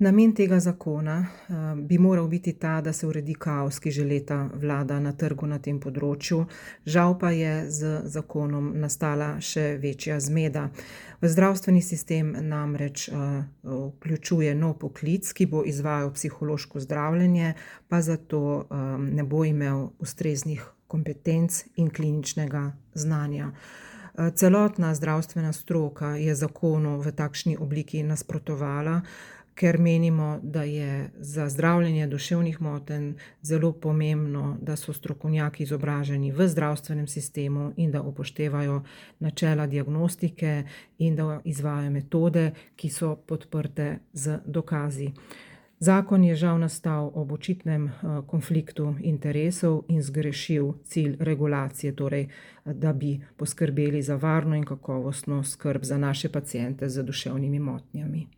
Namen tega zakona bi moral biti ta, da se uredi kaos, ki že leta vlada na trgu na tem področju. Žal pa je z zakonom nastala še večja zmeda. V zdravstveni sistem namreč vključuje nov poklic, ki bo izvajal psihološko zdravljenje, pa zato ne bo imel ustreznih kompetenc in kliničnega znanja. Celotna zdravstvena stroka je zakonu v takšni obliki nasprotovala, ker menimo, da je za zdravljenje duševnih motenj zelo pomembno, da so strokovnjaki izobraženi v zdravstvenem sistemu in da upoštevajo načela diagnostike in da izvajajo metode, ki so podprte z dokazi. Zakon je žal nastal ob očitnem konfliktu interesov in zgrešil cilj regulacije, torej da bi poskrbeli za varno in kakovostno skrb za naše paciente z duševnimi motnjami.